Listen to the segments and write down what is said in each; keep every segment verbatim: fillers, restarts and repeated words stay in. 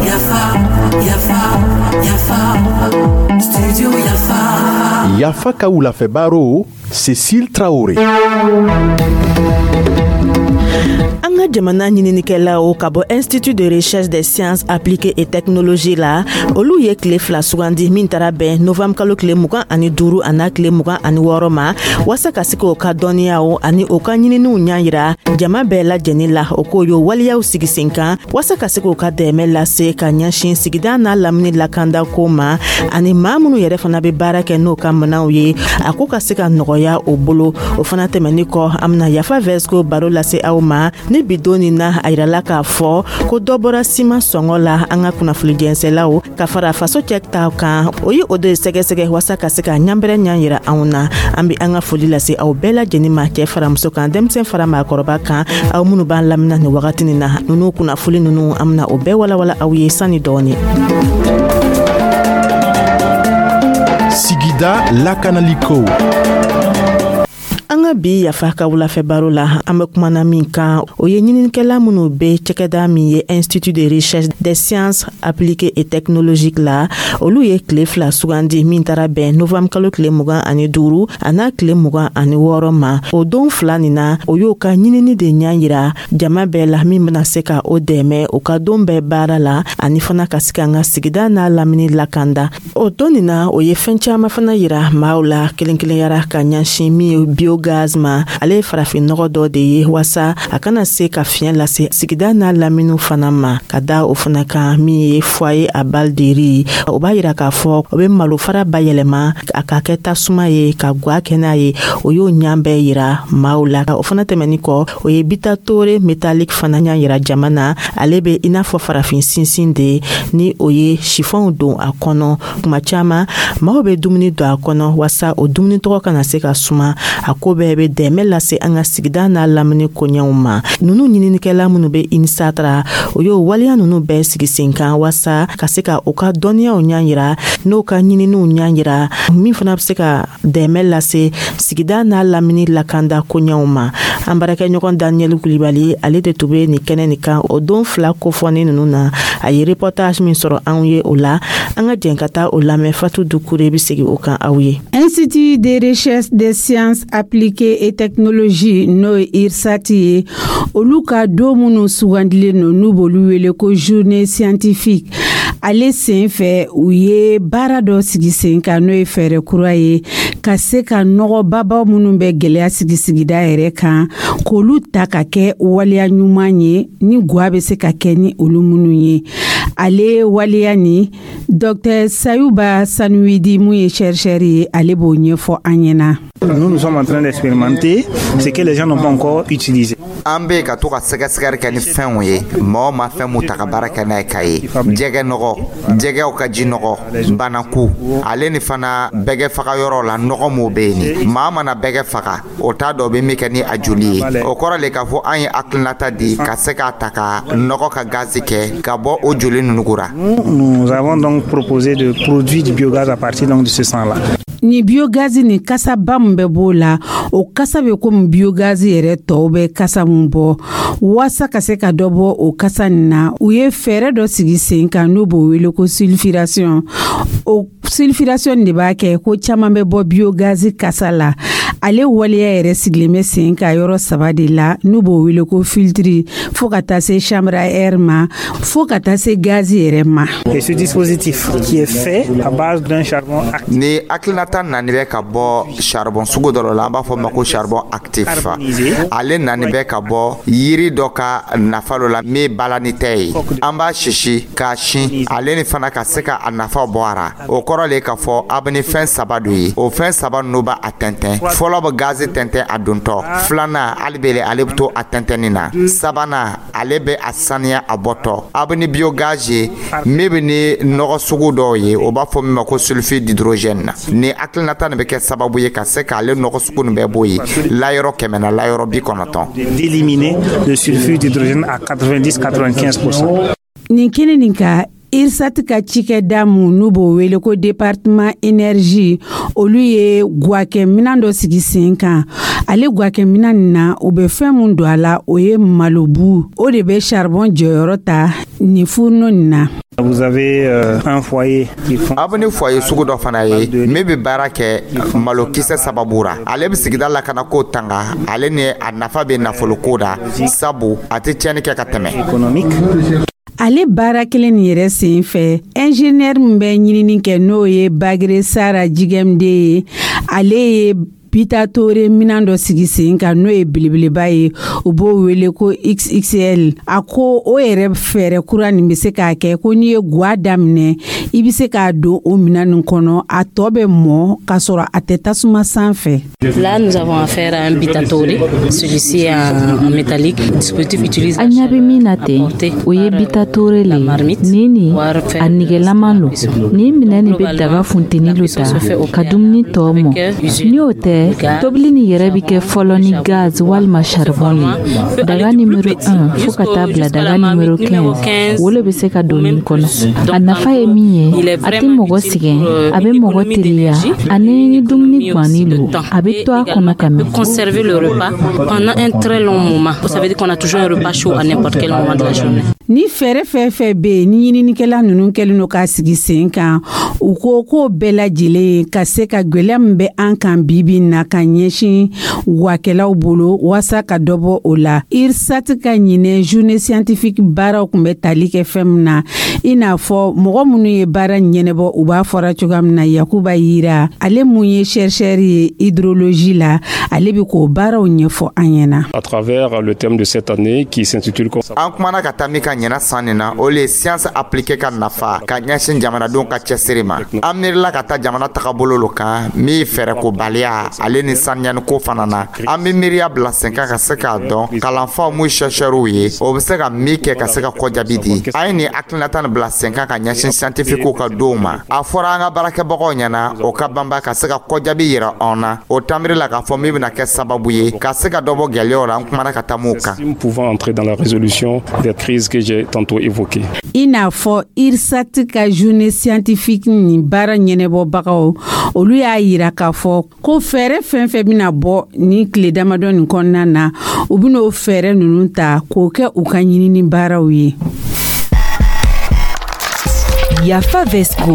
Yafa, Yafa, Yafa, Studio Yafa. Yafa ka wulafɛ baro, Cécile Traoré. An ka jamana ɲininikɛlaw ka bɔ Institut de recherche des sciences appliquées et technologie la, olu ye tile fila sugandi min taara bɛn novembre kalo tile mugan ani duuru a n'a tile mugan ani wɔɔrɔ ma, waasa ka se k'o ka dɔnniyaw ani o ka ɲininiw ɲa yira jama bɛɛ lajɛnin la. O k'o y'o waleyaw sigi sen kan waasa ka se k'o ka dɛmɛ lase ka ɲɛsin sigida n'a lamini lakandako ma, ani maa minnu yɛrɛ fana bɛ baara kɛ n'o ka minɛnw ye, a ko ka se ka nɔgɔya o bolo. O fana tɛmɛni kɔ, an bena Yafa Vɛsco baro lase aw ma. Ni bi don nin na, a yirala k'a fɔ ko dɔ bɔra siman sɔngɔ la. An ka kunnafoni jɛnsɛlaw ka fara faso cɛ ta kan, o ye o de sɛgɛsɛgɛ waasa ka se ka ɲanbɛrɛ ɲa yira anw na. An be an ka foli lase aw bɛɛ lajɛnin ma, cɛɛ fara muso kan, denmisɛn fara maakɔrɔba kan, aw minnu b'an lamina nin wagati nin na. Nunu kunnafoli nunu, an bena o bɛɛ walawala aw ye sanni dɔɔni. Sigida lakanaliko. An ka bi Yafa ka wulafɛ baro la, an bɛ kumana min kan, o ye ɲininikɛla minnu bɛ cɛkɛda min ye Institut de recherche des sciences appliquées et technologiques la, olu ye tile fila sugandi min taara bɛn novembre kalo tile mugan ani duuru a n'a tile mugan ani wɔɔrɔ ma. O don fila nin na, o y'o ka ɲinini de ɲa yira jama bɛɛ la, min bena se ka o dɛmɛ o ka don bɛɛ baara la, ani fana ka se ka an ka sigida n'a lamini lakanda. O don nin na, o ye fɛn caaman fana yira maaw la kelen kelenyara ka ɲɛsin min ye biogaz ma. Ale ye farafin nɔgɔ dɔ de ye waasa a kana se ka fiɲɛ lase sigida n'a laminiw fana ma. Ka da o fana kan, min ye foyer à balles de riz, o b'a yira k'a fɔ o be malofara bayɛlɛma a ka kɛ tasuma ye ka gwa kɛ n'a ye. O y'o ɲan bɛɛ yira maaw la. O fana tɛmɛni kɔ, o ye butadoré métallique fana ɲa yira jama na. Ale be i n'a fɔ farafin sinsin de, ni o ye sifɔnw don a kɔnɔ. Kuma caaman, maaw be dumuni don a kɔnɔ waasa o dumuni tɔgɔ kana se ka suma. A ko bɛɛ be dɛmɛ lase an ka sigida n'a lamini koɲɛw ma. Nunu ɲininikɛla minnu be INSAT ra, o y'o waleya nunu bɛɛ sigi sen kan waasa ka se ka u ka dɔnniyaw ɲa yira, n'o ka ɲininiw ɲa yira, min fana be se ka dɛmɛ lase sigida n'a lamini lakanda koɲɛw ma. An baarakɛɲɔgɔn Daniyɛli Kulibali, ale de tun be nin kɛnɛ nin kan o don fila kofɔni nunu na. A ye reportage min sɔrɔ anw ye o la, an ka jɛn ka taa o lamɛn. Fatu Dukure be segi o kan aw ye. Institut de recherche des sciences appliquées et technologies, n'o ye IRSAT ye, olu ka don minnu sugandilen don, n'u b'olu wele ko journée scientifique, ale sen fɛ, u ye baara dɔ sigi sen kan, n'o ye fɛɛrɛ kura ye ka se ka nɔgɔbabaw minnu bɛ gwɛlɛya sigi sigida yɛrɛ kan, k'olu ta ka kɛ waleya ɲuman ye ni gwa bɛ se ka kɛ ni olu minnu ye. Ale waleya ni Docteur Sayuba Sanuwidi, mun ye chercheur ye, ale b'o ɲɛfɔ an ɲɛna. Nous, nous sommes en train d'expérimenter ce que les gens n'ont pas encore utilisé. An bɛ ka to ka sɛgɛsɛgɛli kɛ ni fɛnw ye, mɔgɔ ma fɛn mun ta ka baara kɛ n'a ye, ka ye jɛgɛ nɔgɔ, jɛgɛw ka ji nɔgɔ, banaku, ale ni fana bɛgɛ faga yɔrɔ la, nɔgɔ m'o bɛ yen. Ni maa mana bɛgɛ faga, o t'a dɔn bɛ min kɛ ni a joli ye. O kɔrɔ le k'a fɔ an ye hakilinata di ka se k'a ta ka nɔgɔ ka gazi kɛ ka bɔ o joli ninnu ra. Nous avons donc proposé de produire du biogaz à partir donc de ce sang-là. Ni biogazi ni kasaba min bɛ b'o la, o kasa bɛ komi biogazi yɛrɛ tɔw bɛ kasa mun bɔ. Waasa ka se ka dɔ bɔ o kasa nin na, u ye fɛɛrɛ dɔ sigi sen kan, n'u b'o wele ko sulfuration. O sulfuration de b'a kɛ ko caman bɛ bɔ biogazi kasa la. Ale waleya yɛrɛ sigilen bɛ sen kan yɔrɔ saba de la, n'u b'o wele ko filtre, fo ka taa se chambre à air ma, fo ka taa se gazi yɛrɛ ma. Et ce dispositif qui est fait à base d'un charbon actif. Ni hakilinata nani bɛ ka bɔ charbon sugu dɔ la, an b'a fɔ ma ko charbon actif. Ale nani bɛ ka bɔ yiri dɔ ka nafa dɔ la min balani tɛ ye. An b'a sisi k'a sin, ale ni fana ka se ka a nafa bɔ a ra. O kɔrɔ le k'a fɔ a bɛ ni fɛn saba do ye. O fɛn saba ninnu b'a a tɛntɛn. Fɔlɔ bɛ gazi tɛntɛn a dontɔ, filanan hali bele ale bɛ to a tɛntɛnni na, sabanan ale bɛ a saniya a bɔtɔ. A bɛ ni biogaz ye min bɛ ni nɔgɔ sugu dɔw ye, o b'a fɔ min ma ko sulfure d'hydrogène na. Ni hakilinata nin bɛ kɛ sababu ye ka se k'ale nɔgɔ sugu nin bɛɛ bɔ yen layɔrɔ kɛmɛ na layɔrɔ bi kɔnɔntɔn. D'éliminer le sulfure d'hydrogène à quatre-vingt-dix quatre-vingt-quinze pour cent. Nin kɛnɛ nin ka IRSAT ka cikɛda mun n'u b'o wele ko département énergie, olu ye gwakɛminan dɔ sigi sen kan. Ale gwakɛminan nin na, u bɛ fɛn mun don a la, o ye malobu. O de bɛ charbon jɔyɔrɔ ta nin fourneau nin na. Vous avez euh, un foyer qui Aw bɛ ni foyer sugu dɔ fana ye min bɛ baara kɛ malokisɛ sababu ra. Ale bɛ sigida lakanako tanga, ale ni a nafa bɛ nafoloko da, sabu a tɛ tiɲɛni kɛ ka tɛmɛ. Économique. Ale baara kelen nin yɛrɛ sen fɛ, ingénieur min bɛ ɲinini kɛ, n'o ye Bagre Sara Jigɛmde ye, ale ye bitaatore minan dɔ sigi sen kan, n'o ye belebeleba ye, u b'o wele ko X X L. A ko o yɛrɛ fɛɛrɛ kura nin bɛ se k'a kɛ ko n'i ye gwa daminɛ, i bɛ se k'a don o minan nin kɔnɔ, a tɔ bɛ mɔ k'a sɔrɔ a tɛ tasuma sanfɛ. Là, nous avons affaire à un bitatore. Celui-ci est en, en métallique. Le dispositif utilise An ɲɛ bɛ min na ten, o ye bitatore le ye. Nin nin, a nɛgɛlama lo. Nin minɛ nin bɛ daga funteni lo ta ka dumuni tɔ mɔ. Ni o tɛ, tobili nin yɛrɛ bɛ kɛ fɔlɔ ni gaz walima charbon le. Daga numéro un fo ka taa bila daga numéro quinze, o le bɛ se ka don nin kɔnɔ. A nafa ye min ye, a tɛ mɔgɔ sɛgɛn, a bɛ mɔgɔ teliya, ani ni dumuni ganni lo, a bɛ to a kɔnɔ ka mɛn. Conserver le repas pendant un très long moment. Ça veut dire qu'on a toujours un repas chaud à n'importe quel moment de la journée. Ni fɛɛrɛ fɛn fɛn bɛ yen ni ɲininikɛla ninnu kɛlen don k'a sigi sen kan, u ko k'o bɛɛ lajɛlen ka se ka gwɛlɛya min bɛ an kan bi bi in na ka ɲɛsin wakɛlaw bolo, waasa ka dɔ bɔ o la. IRSAT ka ɲinɛ journée scientifique baaraw tun bɛ tali kɛ fɛn min na, i n'a fɔ mɔgɔ minnu ye baara ɲɛnɛbɔ, u b'a fɔra cogoya min na, Yakuba Yira, ale mun ye chercheur ye hydrologie la, ale bɛ k'o baaraw ɲɛfɔ an ɲɛna. À travers le thème de cette année qui s'intitule An kumana ka taa min ka ɲɛna san nin na, o le ye science appliquée ka nafa ka ɲɛsin jamanadenw ka cɛsiri ma. An miirila ka taa jamana tagabolo lo kan min fɛɛrɛkobaliya ale ni saniyaniko fana na. An bɛ miiriya bila sen kan ka se k'a dɔn kalanfaw mun chercheurw ye, o bɛ se ka min kɛ ka se ka kɔjaabi di. An ye nin hakilinata nin bila sen kan ka ɲɛsin scientifiquew ka donw ma. A fɔra an ka baarakɛbagaw ɲɛna, o ka banba ka se ka kɔjaabi yira anw na. O tanbiri la k'a fɔ min bɛna kɛ sababu ye ka se ka dɔ bɔ gɛlɛyaw la, an kumana ka taa mun kan. Pouvant entrer dans la résolution des crises que j'ai tantôt évoquées. I n'a fɔ IRSAT ka journée scientifique nin baara ɲɛnɛbɔbagaw, olu y'a yira k'a fɔ ko fɛɛrɛ fɛn fɛn bɛna bɔ nin tile damadɔ nin kɔnɔna na, u bɛn'o fɛɛrɛ ninnu ta k'o kɛ u ka ɲinini baaraw ye. Yafa Vesco.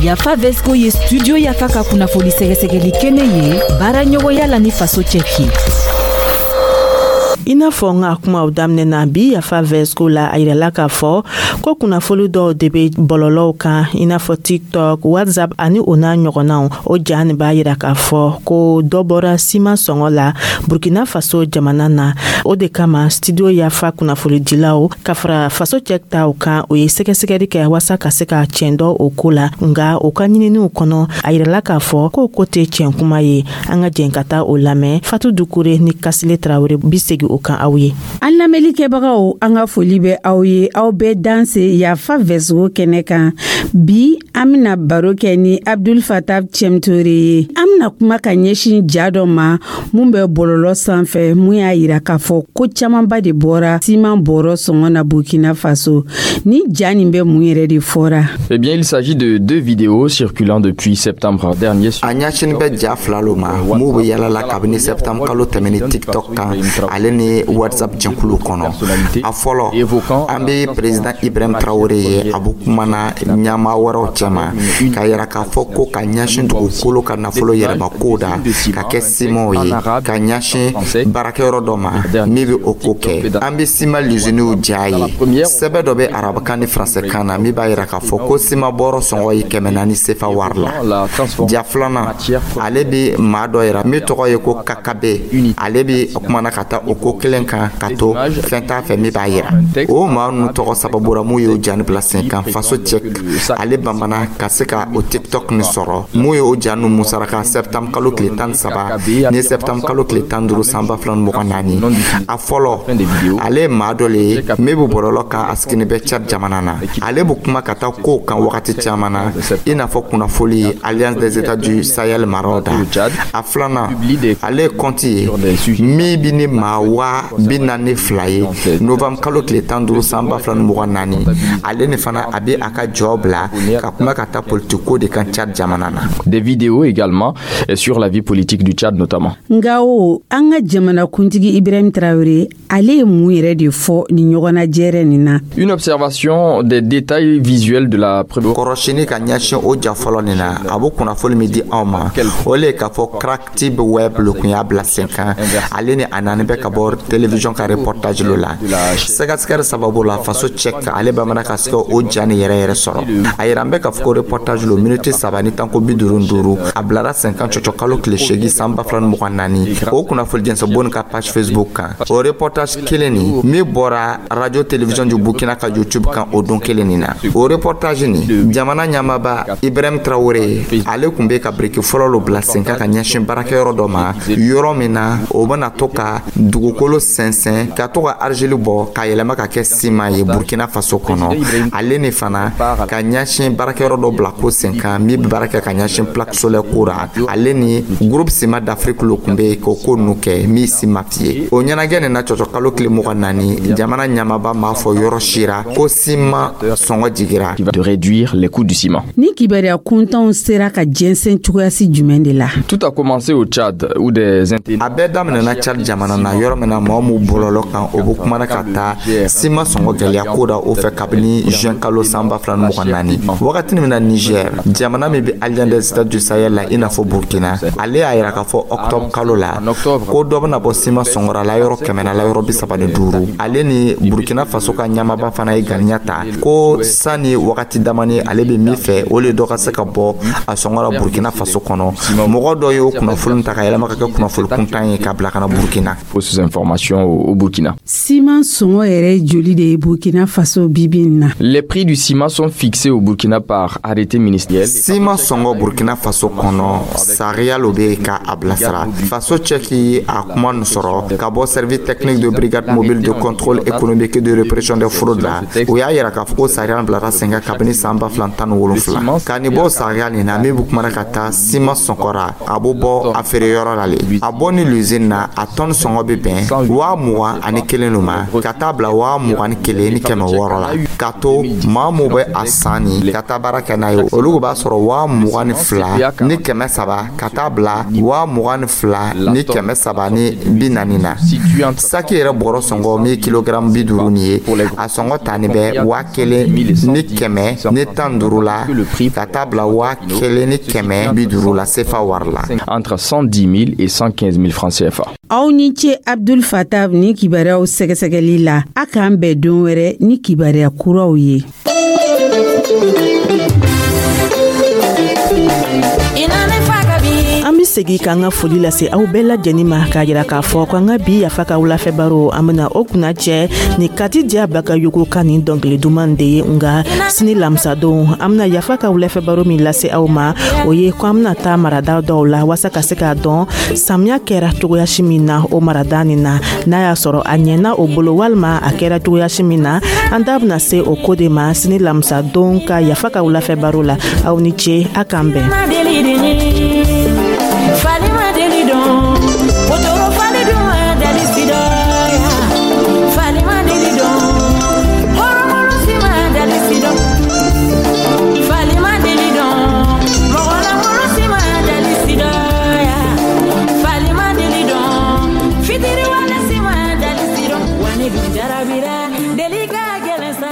Yafa Vesco ye Studio Yafa ka kunnafoni sɛgɛsɛgɛli kɛnɛ ye, baara ɲɔgɔnya la ni Faso Cɛki. I n'a fɔ n ka kumaw daminɛ na bi Yafa Vɛsco la, a yirala k'a fɔ ko kunnafoli dɔw de be bɔlɔlɔw kan, i n'a fɔ TikTok, WhatsApp ani o n'a ɲɔgɔnnaw. O ja nin b'a yira k'a fɔ ko dɔ bɔra siman sɔngɔ la Burkina Faso jamana na. O de kama, Studio Yafa kunnafonidilaw ka fara Faso Cɛ taw kan, o ye sɛgɛsɛgɛli kɛ waasa ka se ka tiɲɛ dɔ o ko la. Nga o ka ɲininiw kɔnɔ, a yirala k'a fɔ k'o ko tɛ tiɲɛ kuma ye. An ka jɛn ka taa o lamɛn. Fatu Dukure ni Kasile Tarawele bi segi o kan aw ye. An lamɛnlikɛbagaw, an ka foli bɛ aw ye, aw bɛɛ danse Yafa Vɛsgo kɛnɛ kan. Bi an bena baro kɛ ni Abdul Fatab Cɛmtore ye. An bena kuma ka ɲɛsin ja dɔ ma mun bɛ bɔlɔlɔ sanfɛ, mun y'a yira k'a fɔ ko caamanba de bɔra siman bɔrɔ sɔngɔ na Burkina Faso. Ni ja nin bɛ mun yɛrɛ de fɔra? Eh bien, il s'agit de deux vidéos circulant depuis septembre dernier. A ɲɛsinin bɛ ja fila lo ma mun bɛ yala la kabini septembre kalo tɛmɛni TikTok kan ale ni WhatsApp jɛnkulu kɔnɔ. A fɔlɔ, an bɛ président Ibrahim Traoré ye, a bɛ kumana ɲɛmaa wɛrɛw cɛma k'a yira k'a fɔ ko ka ɲɛsin dugukolo ka nafolo yɛlɛma kow da ka kɛ simanw ye ka ɲɛsin baarakɛyɔrɔ dɔ ma min bɛ o ko kɛ. An bɛ siman luziniw ja ye. Sɛbɛn dɔ bɛ arabukan ni faransɛkan na min b'a yira k'a fɔ ko siman bɔrɔ sɔngɔ ye kɛmɛ naani sefa wari la. Ja filanan, ale bɛ maa dɔ yira min tɔgɔ ye ko Kakabe. Ale bɛ kumana ka taa o ko kelen kan ka to fɛn t'a fɛ min b'a yira. O maa ninnu tɔgɔ sababu la mun y'o ja nin bila sen kan, Faso Cɛ ale bamana ka se ka o TikTok nin sɔrɔ mun ye o ja ninnu musaraka septembre kalo tile tan ni saba ni septembre kalo tile tan duuru san ba fila ni mugan naani. A fɔlɔ, ale ye maa dɔ le ye min bɛ bɔlɔlɔ kan, a sigini bɛ Tchad jamana na. Ale bɛ kuma ka taa kow kan wagati caman na, i n'a fɔ kunnafoli Alliance des États du Sahel maraw da. A filanan, ale ye compte ye min bi ni maa wɛrɛw waa bi naani fila ye novembre kalo tile tan duuru san ba fila ni mugan naani. Ale ni fana a bɛ a ka jɔ bila ka kuma ka taa politiko de kan Tchad jamana na. Des vidéos également sur la vie politique du Tchad notamment. Nga o, an ka jamana kuntigi Ibrahim Traoré, ale ye mun yɛrɛ de fɔ ni ɲɔgɔnna jɛrɛ nin na? Une observation des détails visuels de la Kɔrɔsini ka ɲɛsin o ja fɔlɔ nin na, a bɛ kunnafoni min di anw ma, o le ye k'a fɔ Kractib Web le kun y'a bila sen kan. Ale ni a naani bɛ ka bɔ télévision ka reportage lo la. Sɛgɛsɛgɛli sababu la, Faso Cɛk ale bamana ka se o ja ni yɛrɛ yɛrɛ sɔrɔ. A yira an bɛ k'a fɔ ko reportage lo miniti saba ni tanko bi duuru duuru, a bilara sen kan cɔcɔ kalo tile seegin san ba fila ni mugan naani, o kunnafoni jɛnsɛn bon ka page Facebook kan. O reportage kelen nin min bɔra Radio Télévision du Burkina ka YouTube kan o don kelen nin na, o reportage nin, jamana ɲɛmaaba Ibrahim Traoré, ale kun bɛ ka biriki fɔlɔ lo bila sen kan ka ɲɛsin baarakɛyɔrɔ dɔ ma, yɔrɔ min na o bɛna to ka dugukolo sɛnsɛn ka to ka argile bɔ ka yɛlɛma ka kɛ siman ye Burkina Faso kɔnɔ. Ale ni fana ka ɲɛsin baarakɛyɔrɔ dɔ bila ko sen kan min bɛ baara kɛ ka ɲɛsin plaque solaire ko ra. Ale ni Groupe Ciment d'Afrique lo kun bɛ k'o ko ninnu kɛ min CIMAF ye. O ɲɛnajɛ nin na, cɔcɔ kalo tile mugan naani, jamana ɲɛmaaba m'a fɔ yɔrɔ sira ko siman sɔngɔ jigira. De réduire les coûts du ciment. Ni kibaruya kuntanw sera ka jɛnsɛn cogoyasi jumɛn de la? Tout a commencé au Tchad où des A bɛɛ daminɛna Tchad jamana na, yɔrɔ min na mɔgɔ m'u bɔlɔlɔ kan, o bɛ kumana ka taa siman sɔngɔ gɛlɛya ko da o fɛ kabini juin kalo san ba fila ni mugan naani. Wagati min na Niger, jamana min bɛ Alliance des États du Sahel la i n'a fɔ Burkina, ale y'a yira k'a fɔ octobre kalo la ko dɔ bɛna bɔ siman sɔngɔ la yɔrɔ kɛmɛ na la yɔrɔ bi saba ni duuru. Ale ni Burkina Faso ka ɲamaba fana ye ganiya ta ko sani wagati damani, ale bɛ min fɛ, o le dɔ ka se ka bɔ a sɔngɔ la Burkina Faso kɔnɔ. Mɔgɔ dɔ y'o kunnafoni ta ka yɛlɛma ka kɛ kunnafoni kuntan ye ka bila ka na Burkina. Fausses informations au, au Burkina. Siman sɔngɔ yɛrɛ joli de ye Burkina Faso bibi in na? Les prix du ciment sont fixés au Burkina par arrêté ministériel. Siman sɔngɔ Burkina Faso kɔnɔ, sariya lo bɛ ka a bilasira. Faso Cɛki a kuma nin sɔrɔ ka bɔ Service technique de brigade mobile de contrôle économique et de répression des fraudes la. O y'a yira k'a fɔ ko sariya bilara sen kan kabini san ba fila tan ni wolonfila. Ka nin bɔ sariya nin na min bɛ kumana ka taa siman sɔngɔ, a bɛ bɔ a feere yɔrɔ la le, a bɔ ni l'usine na, a tɔni sɔngɔ bɛ bɛn waa mugan ani kelen lo ma ka taa bila waa mugan ni kelen ni kɛmɛ wɔɔrɔ la. Ka to maa mun bɛ a san ni ka taa baara kɛ n'a ye, olu b'a sɔrɔ waa mugan ni fila ni kɛmɛ saba ka taa bila waa mugan ni fila ni kɛmɛ saba ni bi naani na. Saki yɛrɛ bɔrɔ sɔngɔ min ye kilogaramu bi duuru nin ye, a sɔngɔ tani bɛ waa kelen ni kɛmɛ ni tan duuru la ka taa bila waa kelen ni kɛmɛ bi duuru la sefa wari la. Entre cent dix mille et cent quinze mille francs C F A. Aw ni ce, Abdul Fatab, ni kibaruyaw sɛgɛsɛgɛli la. A k'an bɛn don wɛrɛ ni kibaruya kuraw ye. An be segi k'an ka foli lase aw bɛɛ lajɛnin ma, k'a yira k'a fɔ ko an ka bi Yafa ka wulafɛ baro, an bena o kunna cɛ ni Kati Diya Bagayogo ka nin dɔnkili duman de ye. Nga sini lamisadon, an bena Yafa ka wulafɛ baro min lase aw ma, o ye ko an bena taa marada dɔw la waasa ka se k'a dɔn samiya kɛra cogoyasi min na o marada nin na, n'a y'a sɔrɔ a ɲɛna o bolo walima a kɛra cogoyasi min na. An da bena se o ko de ma sini lamisadon ka Yafa ka wulafɛ baro la. Aw ni ce, a k'an bɛn. Falima.